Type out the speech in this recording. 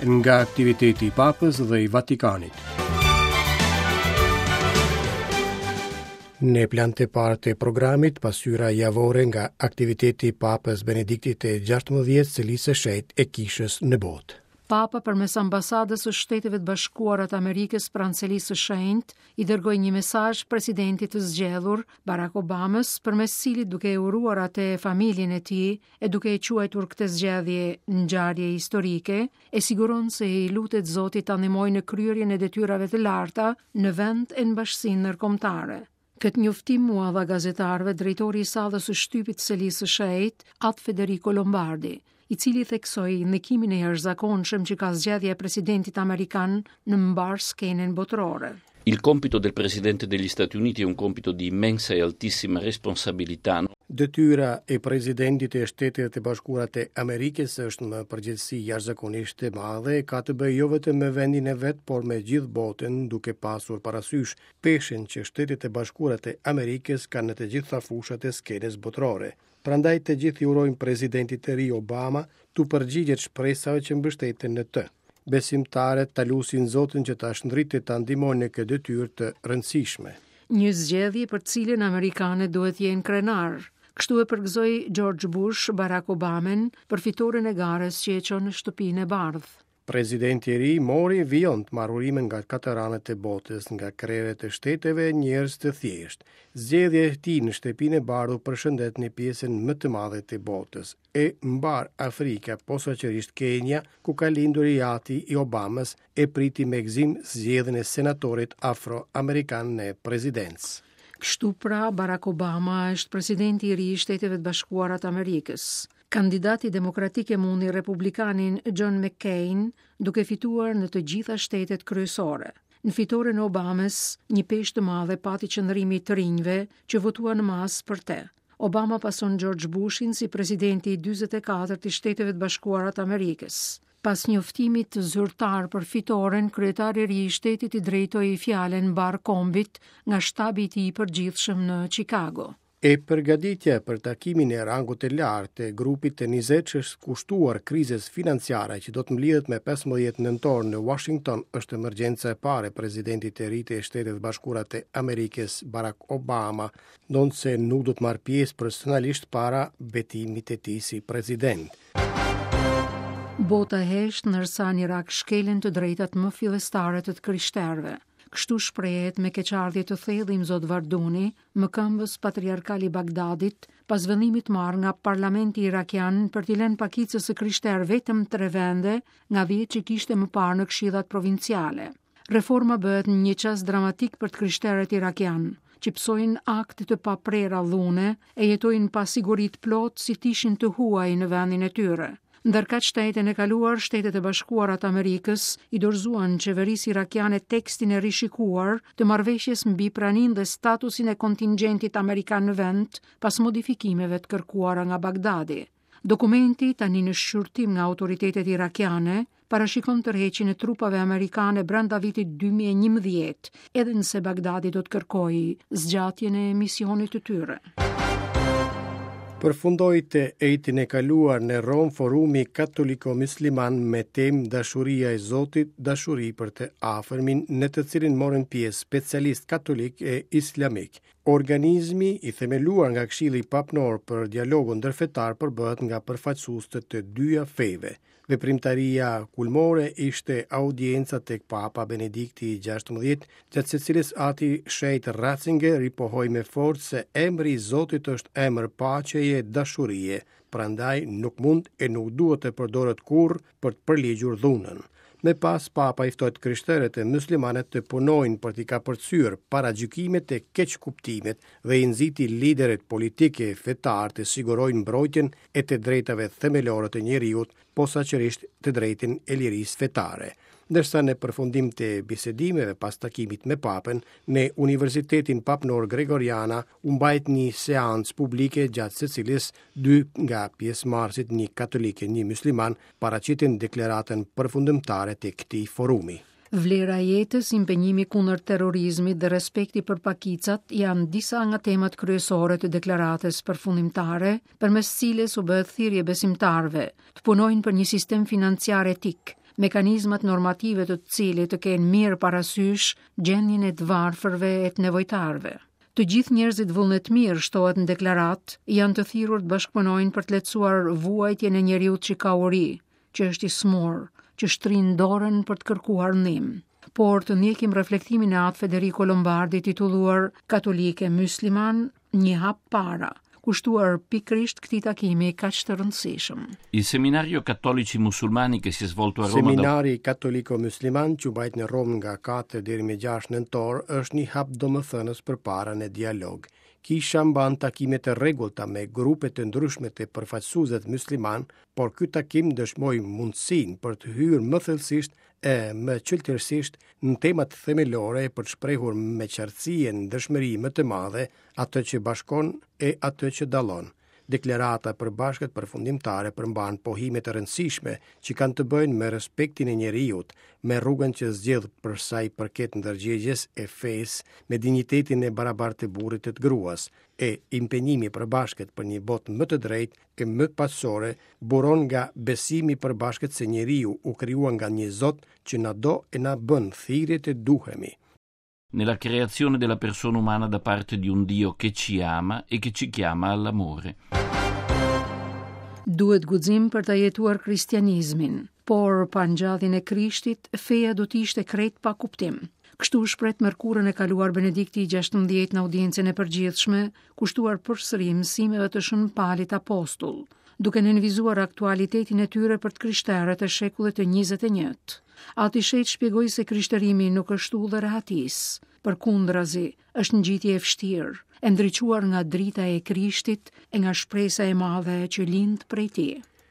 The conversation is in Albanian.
Nga aktiviteti i Papës dhe i Vatikanit. Në plan të parë të programit, pasqyra javore nga aktiviteti i Papës Benediktit të 16 Selisë së Shenjtë e Kishës në botë. Papa përmes ambasadës së Shteteve të Bashkuara të Amerikës pranë Selisë së Shenjtë i dërgoi një mesazh presidentit të zgjedhur Barack Obamës, përmes cilit duke e uruar atë e familjen e tij e duke e quajtur këtë zgjedhje ngjarje historike, e siguron se i lutet Zotit ta ndihmojë në kryerjen e detyrave të larta në vend e në bashkësinë ndërkombëtare. Këtë njoftim ua dha gazetarëve drejtori i sallës së shtypit të Selisë së Shenjtë, At Federico Lombardi, i cili theksoi ndikimin e jashtëzakonshëm që ka zgjedhja e presidentit amerikan në mbarë skenën botërore. Il compito del Presidente degli Stati Uniti è un compito di immensa e altissima responsabilità. Detyra e presidentit të Shteteve të Bashkuara të Amerikës është me përgjegjësi jashtëzakonisht të madhe e ka të bëjë jo vetëm me vendin e vet, por me gjithë botën, duke pasur parasysh peshën që Shtetet e Bashkuara të Amerikës kanë në të gjitha fushat e skenës botërore. Prandaj të gjithë i urojmë presidentit të ri Obama t'u përgjigjet shpresave që mbështeten në të. Besimtarët ta lusin Zotin që ta shndritë e ta ndihmojë në këtë detyrë të rëndësishme. Një zgjedhje për të cilën amerikanët duhet të jenë krenarë. Kështu e përgëzoi George Bush Barack Obamën për fitoren e garës që e çon në Shtëpinë e Bardhë. Presidenti i ri mori vijon të marrë urime nga katër anët e botës, nga krerët e shteteve e njerëz të thjeshtë. Zgjedhja e tij në Shtëpinë e Bardhë u përshëndet në pjesën më të madhe të botës. E mbarë Afrika, posaçërisht Kenia, ku ka lindur i ati i Obamës, e priti me gëzim zgjedhjen e senatorit afro-amerikan në presidencë. Kështu pra, Barack Obama është presidenti i ri i Shteteve të Bashkuara të Amerikës. Kandidati demokratik e mundi republikanin John McCain, duke fituar në të gjitha shtetet kryesore. Në fitoren e Obamës, një peshë të madhe pati qëndrimi i të rinjve që votuan në masë për te. Obama pason George Bushin si presidenti i 44 i Shteteve të Bashkuara të Amerikës. Pas njoftimit zyrtar për fitoren, kryetari i ri i shtetit i drejtoi fjalën mbarë kombit nga shtabi i tij i përgjithshëm në Chicago. E përgatitja për takimin e rangut të lartë të grupit të 20 që është kushtuar krizës financiare që do të mblidhet me 15 nëntor në Washington është emergjenca e parë e presidentit të ri të Shteteve të Bashkuara të Amerikës Barack Obama, ndonëse nuk do të marrë pjesë personalisht para betimit të tij si president. Bota hesht ndërsa në Irak shkelen të drejtat më fillestare të të krishterëve. Kështu shprehet me keqardhje të thellë Imzot Varduni, mëkëmbës patriarkal i Bagdadit, pas vendimit të marrë nga parlamenti irakian për t'i lënë pakicës së krishterë vetëm tre vende nga 10 që kishte më parë në këshillat provinciale. Reforma bëhet në një çast dramatik për të krishterët irakianë, që pësojnë akte të paprera dhune e jetojnë pasiguri të plotë si të ishin të huaj në vendin e tyre. Ndërkaq të enjten e kaluar, Shtetet e Bashkuara të Amerikës i dorëzuan qeverisë irakiane tekstin e rishikuar të marrëveshjes mbi praninë dhe statusin e kontingjentit amerikan në vend pas modifikimeve të kërkuara nga Bagdadi. Dokumenti, tani në shqyrtim nga autoritetet irakiane, parashikon tërheqjen e trupave amerikane brenda vitit 2011, edhe nëse Bagdadi do të kërkojë zgjatjen e misionit të tyre. Përfundoi të enjten e kaluar në Romë forumi katoliko-musliman me temë Dashuria e Zotit, dashuri për të afërmin, në të cilin morën pjesë specialistë katolikë e islamikë. Organizmi, i themeluar nga Këshilli Papnor për Dialogun Ndërfetar, përbëhet nga përfaqësues të të dyja feve. Veprimtaria kulmore ishte audienca tek Papa Benedikti i 16, gjatë së cilës Ati i Shenjtë Ratzinger ripohoi me forcë se emri i Zotit është emër paqeje e dashurie, prandaj nuk mund e nuk duhet të përdoret kurrë për të përligjur dhunën. Më pas Papa i ftoi të krishterët e muslimanët të punojnë për t'i kapërcyer paragjykimet e keqkuptimet dhe i nxiti liderët politikë e fetarë të sigurojnë mbrojtjen e të drejtave themelore të njeriut, posaçërisht të drejtën e lirisë fetare. Ndërsa në përfundim të bisedimeve pas takimit me Papën, në Universitetin Papnor Gregoriana u mbajt një seancë publike gjatë së cilës dy nga pjesëmarrësit, një katolik e një mysliman, paraqitën deklaratën përfundimtare të këtij forumi. Vlera e jetës, impenjimi kundër terrorizmit dhe respekti për pakicat janë disa nga temat kryesore të deklaratës përfundimtare, përmes cilës u bëhet thirrje besimtarëve të punojnë për një sistem financiar etik, mekanizmat normative të të cilit të kenë mirë parasysh gjendjen e të varfërve e të nevojtarëve. Të gjithë njerëzit vullnetmirë, shtohet në deklaratë, janë të thirrur të bashkëpunojnë për të lehtësuar vuajtjen e njeriut që ka uri, që është i sëmurë, që shtrin dorën për të kërkuar ndihmë. Por të ndjekim reflektimin e At Federico Lombardi titulluar Katolikë e Myslimanë, një hap para, kushtuar pikërisht këtij takimi kaq të rëndësishëm. Il seminario Cattolici Musulmani che si è svolto a Roma Seminari katoliko-mysliman që u mbajt në Romë nga 4 deri më 6 nëntor është një hap domethënës përpara në dialog. Kisha mban takime të rregullta me grupe të ndryshme të përfaqësuesve myslimanë, por ky takim dëshmoi mundësinë për të hyrë më thellësisht e më çiltërsisht në temat themelore për të shprehur me qartësi e ndershmëri më të madhe atë që bashkon e atë që dallon. Deklarata e përbashkët përfundimtare përmban pohime të rëndësishme që kanë të bëjnë me respektin e njeriut, me rrugën që zgjedh për sa i përket ndërgjegjes e fesë, me dinjitetin e barabartë të burrit e të gruas, e impenjimi i përbashkët për një botë më të drejtë e më paqësore buron nga besimi i përbashkët se njeriu u krijua nga një Zot që na do e na bën thirrje të duhemi. Nella creazione della persona umana da parte di un Dio che ci ama e che ci chiama all'amore. Duhet guxim për ta jetuar kristianizmin, por pa ngjalljen e Krishtit, feja do të ishte krejt pa kuptim. Kështu u shpreh të mërkurën e kaluar Benedikti i 16 në audiencën e përgjithshme, kushtuar përsëri mësimeve të Shën Palit Apostull, duke nënvizuar aktualitetin e tyre për të krishterët e shekullit të 21. Ati i Shenjtë shpjegoi se krishterimi nuk është udhë e rehatisë, përkundrazi, është ngjitje e vështirë, e ndriçuar nga drita e Krishtit e nga shpresa e madhe që lind prej tij.